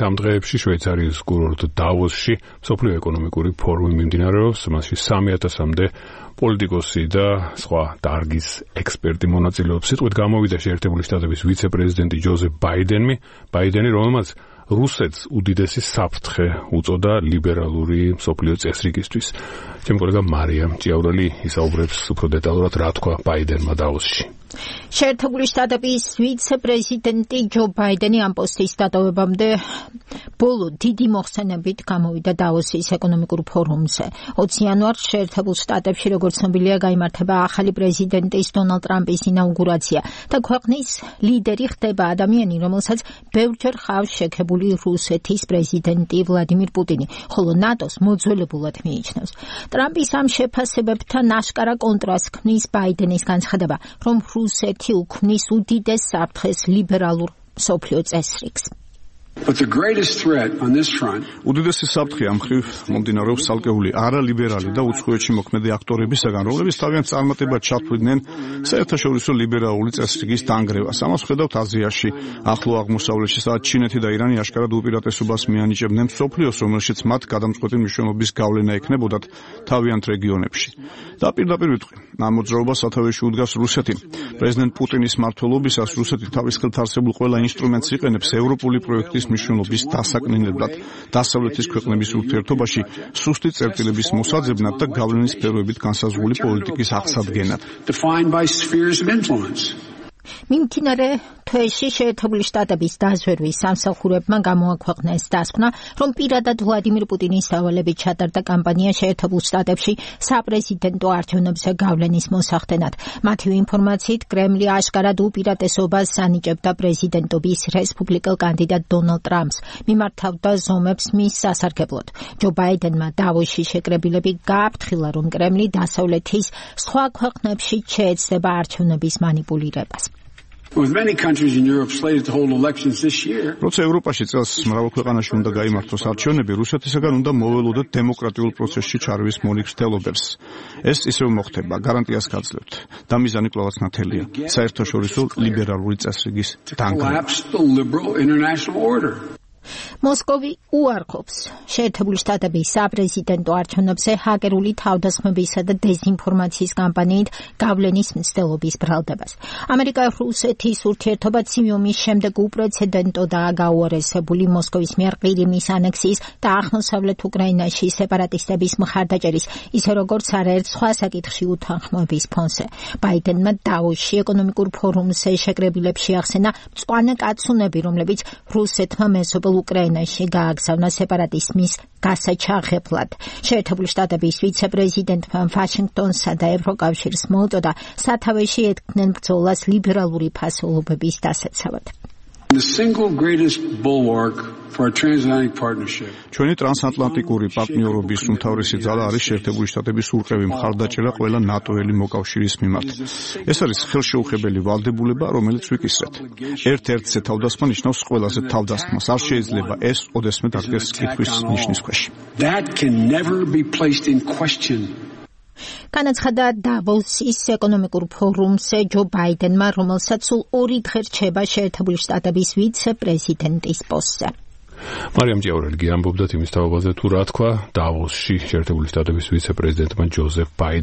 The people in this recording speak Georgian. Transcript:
ამ დღეებში შვეიცარიის კურორტ დავოსში მსოფლიო ეკონომიკური ფორუმი მიმდინარეობს, მასში 3000-მდე პოლიტიკოსი და სხვა დარგის ექსპერტი მონაწილეობს. სიტყვით გამოვიდა შეერთებული შტატების ვიცე-პრეზიდენტი ჯოზეფ ბაიდენი, რომელმაც რუსეთს უდიდესი საფრთხე უწოდა ლიბერალური მსოფლიო წესრიგისთვის. ჩემი კოლეგა მარიამ ჭიაურელი ისაუბრებს უფრო დეტალურად რა თქვა ბაიდენმა დავოსში. შეერთებული შტატების ვიცე-პრეზიდენტი ჯო ბაიდენი ამ პოსტის დატოვებამდე ბოლო დიდი მოხსენებით გამოვიდა დავოსის ეკონომიკურ ფორუმზე. 20 იანვარს შეერთებულ შტატებში, როგორც ცნობილია, გაიმართება ახალი პრეზიდენტის დონალდ ტრამპის ინაუგურაცია და ქვეყნის ლიდერი ხდება ადამიანი, რომელსაც ბევრჯერ ხავს შექებული რუსეთის პრეზიდენტი ვლადიმირ პუტინი, ხოლო ნატოს მოძველებულად მიიჩნევს. ტრამპის ამ შეფასებებთან აშკარა კონტრასტს ქმნის ბაიდენის განცხადება, რომ რუსეთი უქმნის უდიდეს საფრთხეს ლიბერალურ მსოფლიო წესრიგს. უდიდესი საფრთხე ამ მხრივ მომდინარეობს ცალკეული არალიბერალი და უცხოეთში მოქმედი აქტორებისაგან, რომლებიც თავიანთ წარმატებად ჩათვლიდნენ საერთაშორისო ლიბერალური წესრიგის დანგრევას. ამას ვხედავთ აზიაში, ახლო აღმოსავლეთში, სადაც ჩინეთი და ირანი აშკარად უპირატესობას მიანიჭებდნენ მსოფლიოს, რომელშიც მათ გადამწყვეტი მნიშვნელობის გავლენა ექნებოდათ თავიანთ რეგიონებში. და პირდაპირ ვიტყვი, ამ მოძრაობას სათავეში უდგას რუსეთი. პრეზიდენტ პუტინის მმართველობისას რუსეთი თავის ხელთ არსებულ ყველა ინსტრუმენტს იყენებს ევროპული პროექტის მნიშვნელობის დასაკნინებლად, დასავლეთის ქვეყნების ურთიერთობაში სუსტი წერტილების მოსაძებნად და გავლენის სფეროებით განსაზღვრული პოლიტიკის აღსადგენად. მიმდინარე თვეში შეერთებული შტატების დაზვერვის სამსახურებმა გამოაქვეყნეს დასკვნა, რომ პირადად ვლადიმირ პუტინის დავალებით ჩატარდა კამპანია შეერთებულ შტატებში საპრეზიდენტო არჩევნებზე გავლენის მოსახდენად. მათივე ინფორმაციით, კრემლი აშკარად უპირატესობას ანიჭებდა პრეზიდენტობის რესპუბლიკელ კანდიდატ დონალდ ტრამპს, მიმართავდა ზომებს მის სასარგებლოდ. ჯო ბაიდენმა დავოსში შეკრებილები გააფრთხილა, რომ კრემლი დასავლეთის სხვა ქვეყნებში შეეცდება არჩევნების მანიპულირებას. როცა ევროპაში წელს მრავალ ქვეყანაში უნდა გაიმართოს არჩევნები, რუსეთისაგან უნდა მოველოდოთ დემოკრატიულ პროცესში ჩარევის მონიცდელობებს. ეს ისევ მოხდება, გარანტიას გაძლევთ. და მიზანი კვლავაც ნათელია, საერთაშორისო ლიბერალური წესრიგის დანგრევა. მოსკოვი უარყოფს შეერთებული შტატების საპრეზიდენტო არჩევნებზე ჰაკერული თავდასხმებისა და დეზინფორმაციის კამპანიით გავლენის მცდელობის ბრალდებას. ამერიკა-რუსეთის ურთიერთობა ცივი შემდეგ უპრეცედენტოდაა გაუარესებული მოსკოვის მიერ ყირიმის ანექსიის და აღმოსავლეთ უკრაინაში სეპარატისტების მხარდაჭერის, ისე როგორც არაერთ სხვა საკითხში უთანხმოების ფონზე. ბაიდენმა დავოსში ეკონომიკურ ფორუმზე შეკრებილებში ახსენა მწვანე კაცუნები, რომლებიც რუსეთმა მეზობელ უკრაინაში გააგზავნა სეპარატიზმის გასაჩაღებლად. შეერთებული შტატების ვიცე-პრეზიდენტმა ვაშინგტონსა და ევროკავშირს მოუწოდა სათავეში ეთქმნენ ბრძოლას ლიბერალური ფასეულობების დასაცავად. ჩვენი ტრანსატლანტიკური პარტნიორობის უმთავრესი ძალა არის შეერთებული შტატების ურყევი მხარდაჭერა ყველა ნატოელი მოკავშირის მიმართ. ეს არის ხელშეუხებელი ვალდებულება, რომელიც ვიკისრეთ. ერთ-ერთზე თავდასხმა ნიშნავს ყველაზე თავდასხმას. არ შეიძლება ეს ოდესმე დადგეს კითხვის ნიშნის ქვეშ. განაცხადა დავოსის ეკონომიკურ ფორუმზე ჯო ბაიდენმა, რომელსაც სულ 2 დღე რჩება შეერთებული შტატების ვიცე-პრეზიდენტის პოსტზე. მარიამ ჭიაურელი ამბობდა იმის თაობაზე თუ რა თქვა დავოსში შეერთებული შტატების ვიცე-პრეზიდენტმა ჯოზეფ ბაიდენმა.